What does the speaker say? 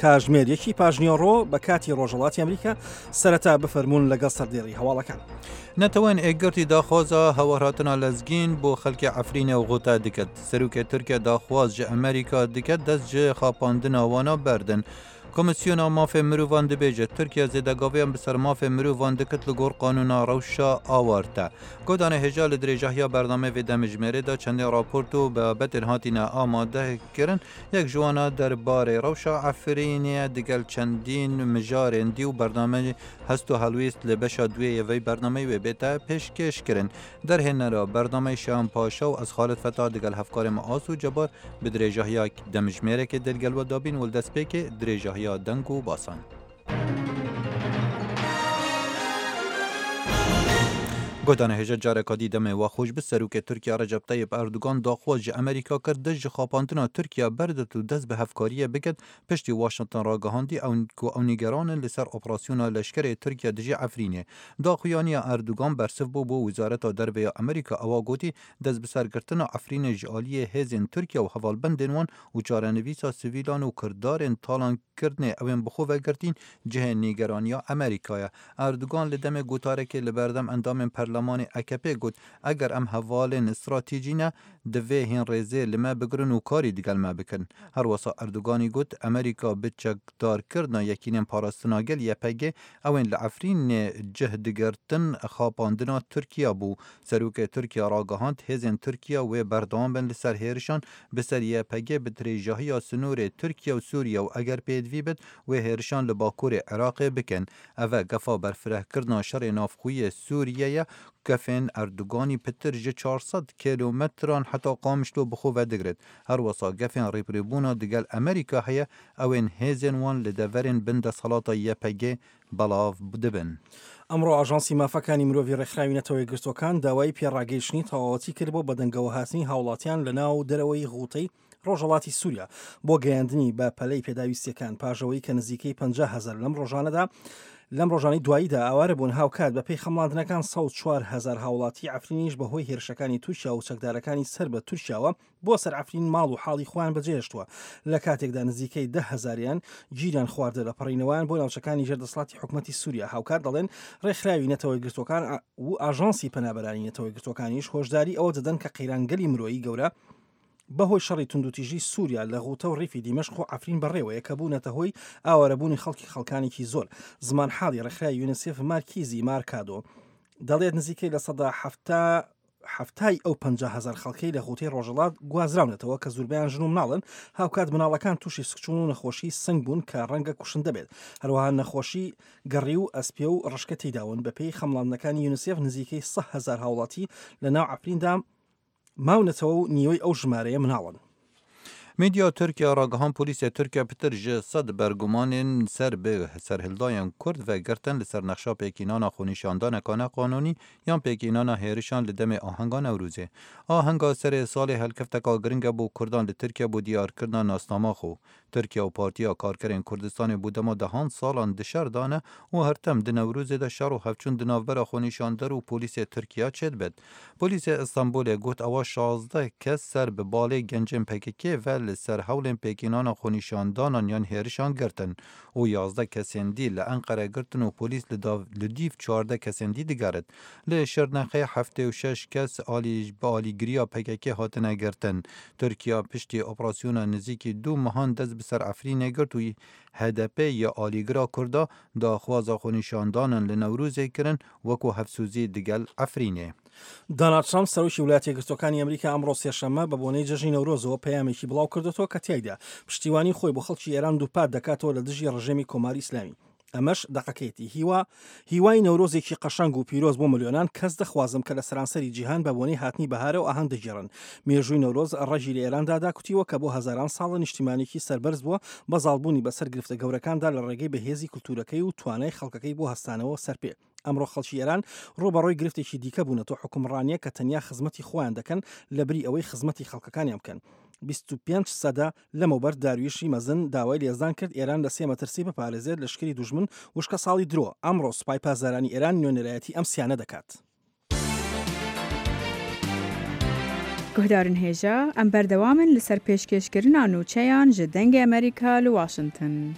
کاژمێر یەکی پاژنیۆڕۆ بە کاتی ڕۆژهەڵاتی ئەمریکا سەرەتا بفەرموون لەگەڵ سەردێڕی هەواڵەکان. نەتەوەێن ئێکگرتی داخوازا هەوارهاتنا لەزگین بۆ خەلکێ عەفرینێ و غوتە دکرد. سەروکێ تورکیە داخواز ji ئەمریکا دکرد دەست ji xapandina wana berdin. Komîsyona Mafê Mirovan dibêje, Tirkiye zêdegaviyan bi ser mafê mirovan dikit li gor qanûna rewşa awarte. Godanê hêja li dirêjahiya bernameyê vê demijmêrê de çendîn raport û babetên hatine amade kirin, yek ji wan a derbarê rewşa Efrînê ye digel çendîn mijarên dî û bernameyê hest û helwîst li beşa duyê yê vê bernameyê wê bête pêşkêşkirin. Derhênera bernameyê Şeyan Paşa û ez Xalid Feta digel hevkarê me Aso Cebar Bi dirêjahiya demjimêrekê dê li gel we dabîn û li destpêkê dirêjahiya deng û basan. Guhdanê hêja careka dî demê we xweş bi Serokê Tirkiye Recep Tayyip Erdogan daxwaz ji Amerîka kir dest ji xapandina Tirkiye berdet û dest bi hevkariyê biket piştî Washington ragihandî ew ku ew nîgeran in li ser operasyona leşkerê Tirkiye dijî Efrînê. Daxuyaniya Erdogan bersiv bû bo Wezareta Derve ya Amerîka ewa gotî Destbisergirtina Efrînê ji aliyê hêzên Tirkiye û hevalbendên wan û çarenivîsa sivîlan û kirdarên talankirinê ew ên bi xwe vegirtîn cihê nîgeraniya Amerîka ye. Erdogan li demê gotarekê li berdem endamên perlemanê AKP'ê got, Eger em hevalên stratejî ne, divê hîn rêzê li me bigirin û karî digel me bikin. Herwisa Erdoganî got, Amerîka bi çekdarkirina Yekînên Parastina Gel, YPG, ew ên li Efrînê cih digirtin xapandina Tirkiye bû. Serokê Tirkiye ragihand, hêzên Tirkiye wê berdewam bin li ser hêrişan bi ser YPG bi dirêjahiya sinorê Tirkiye û Sûriye û eger pêdivî bit wê hêrişan li bakurê Iraqê bikin. Ev e gefa berfirehkirina şerê navxweyê Sûriye ye gefên Erdoganî pitir ji 400 kêlometran heta Qamişlo bi xwe vedigirit. Herwisa gefên rêbirêbûna digel Amerîka heye ew ên hêzên wan li deverên bin desthilata YPG بەڵاڤ دبن. ئەمڕۆ ئاژانسی مافەکانی مرۆڤی ڕێکخراوی نەتەوە یەکگرتووەکان داوای پێڕاگەیشتنی تەواوەتی کرد بۆ بەدەنگەوەهاتنی هاوڵاتیان لە ناو دەرەوەی غوتەی ڕۆژهەڵاتی سووریا بۆ گەیاندنی بە پەلەی پێداویستیەکان پاش ئەوەی کە نزیکەی 50 هەزار لەم ڕۆژانەدا لەم ڕۆژانی دواییدا ئاوارە بوون هاوکات بەپێی خەمڵاندنەکان 104 هەزار هاوڵاتی عەفرینیش بەهۆی هێرشەکانی تورکیا و چەکدارەکانی سەر بە تورکیاوە بۆ سەر عەفرین ماڵ و حاڵی خۆیان بەجێهێشتووە، لە کاتێکدا نزیکەی 10 هەزاریان گیریان خواردە لە پەڕینەوەیان بۆ ناوچەکانی ژێر دەسەڵاتی حکومەتی سووریا. هاوکات دەڵێن ڕێکخراوی نەتەوە یەکگرتووەکان و ئاژانسی پەنابەرانی نەتەوە یەکگرتووەکانیش هۆشداری ئەوە دەدەن کە قەیرانگەلی مرۆیی گەورە بەهۆی شەڕی توندوتیژی سووریا لە غوتە و ڕیفی دیمەشق و عەفرین بەڕێوەیە کە بوونەتە هۆی ئاوارەبوونی خەڵکی خەڵکانێکی زۆر. زمانحاڵی ڕێکخراوی یونیسێف مارکیزی مارکادۆ دەڵێت نزیکەی 70% حەفتای ئەو 50 هەزار خەڵکەی لە غوتەی ڕۆژهەڵات گوازراونەتەوە کە زوربەیان ژن و مناڵن، هاوکات مناڵەکان تووشی سکچوون و نەخۆشی سنگ بوون کە ڕەنگە کوشندە بێت، هەروەها نەخۆشی گەڕی و ئەسپێ و ڕشکە تێیداون، بەپێی خەمڵاندنەکانی یونیسێف نزیکەی 100 هەزار هاوڵاتی لە ناو عەفریندا ماونەتەوە و نیوەی ئەو ژمارەیە مناڵن. Medya Tirkiye ragihand polîsê Tirkiye pitir ji sed bergumanên ser bi serhildayên Kurd ve girtin li ser nexşa pêkînana xwenîşandaneka neqanûnî yan pêkînana hêrişan li demê ahenga Newrozê. Ahenga serê salê helkefteka giring e bo Kurdan li Tirkiye bo diyarkirina nasnama xwe. Tirkiye û Partiya Karkerên Kurdistanê bo dema dehan salan di şer de ne û her tem di Newrozê de şer û hevçûn di navbera xwenîşander û polîsê Tirkiye çêdibit. Polîsê Istenbolê got ewa 16 kes ser bi balê gencên PKK ve li ser hewlên pêkînana xwenîşandanan yan hêrişan girtin û 11 kesên dî li Enqere girtin û polîs li li dîv 14 kesên dî digerit. Li Şirnexê 76 kes alî bi alîgiriya PKK hatine girtin. Tirkiye piştî operasyona nizîkî du mehan dest bi ser Efrînê girt û HDP ya alîgira Kurda daxwaza xwenîşandanan li Newrozê kirin wekû hevsozî digel Efrînê. دۆناڵد ترەمپ سەرۆکی وڵاتە یەکگرتووەکانی ئەمریکا ئەمڕۆ سێشەممە بە بۆنەی جەژنی نەورۆزەوە پەیامێکی بڵاو کردوێتەوە کە تیایدا پشتیوانی خۆی بۆ خەڵکی ئێران دووپات دەکاتەوە لە دژی ڕژێمی کۆماری ئیسلامی. ئەمەش دەقەکەیەتی هیوا هیوای نەورۆزێکی قەشەنگ و پیرۆز بۆ ملیۆنان کەس دەخوازم کە لە سەرانسەری جیهان بە بۆنەی هاتنی بەهارە و ئاهەنگ دەگێڕن. مێژووی نەورۆز ڕەگی لە ئێراندا داکوتیوە کە بۆ هەزاران ساڵە نیشتیمانێکی سەربەرز بووە بە زاڵبوونی بەسەر گرفتە گەورەکاندا لە ڕێگەی بەهێزی کولتوورەکەی و توانای خەڵکەکەی بۆ هەستانەوە سەرپێ. ئەمڕۆ خەڵکی ئێران ڕووبەڕووی گرفتێکی دیکە بوونەتەوە حوکمڕانییە کە تەنیا خزمەتی خۆیان دەکەن لەبری ئەوەی خزمەتی خەڵکەکانیان بکەن. 25 سەدە لەمەوبەر دارویشی مەزن داوای لە یەزدان کرد ئێران لە سێ مەترسی بپارێزێت لەشکری دوژمن وشکەساڵی درۆ. ئەمڕۆ سوپای پاسدارانی ئێران نوێنەرایەتی ئەم سیانە دەکات. Guhdarên hêja, em berdewam in li ser pêşkêşkirina nûçeyan ji Dengê Amerîka li Washington.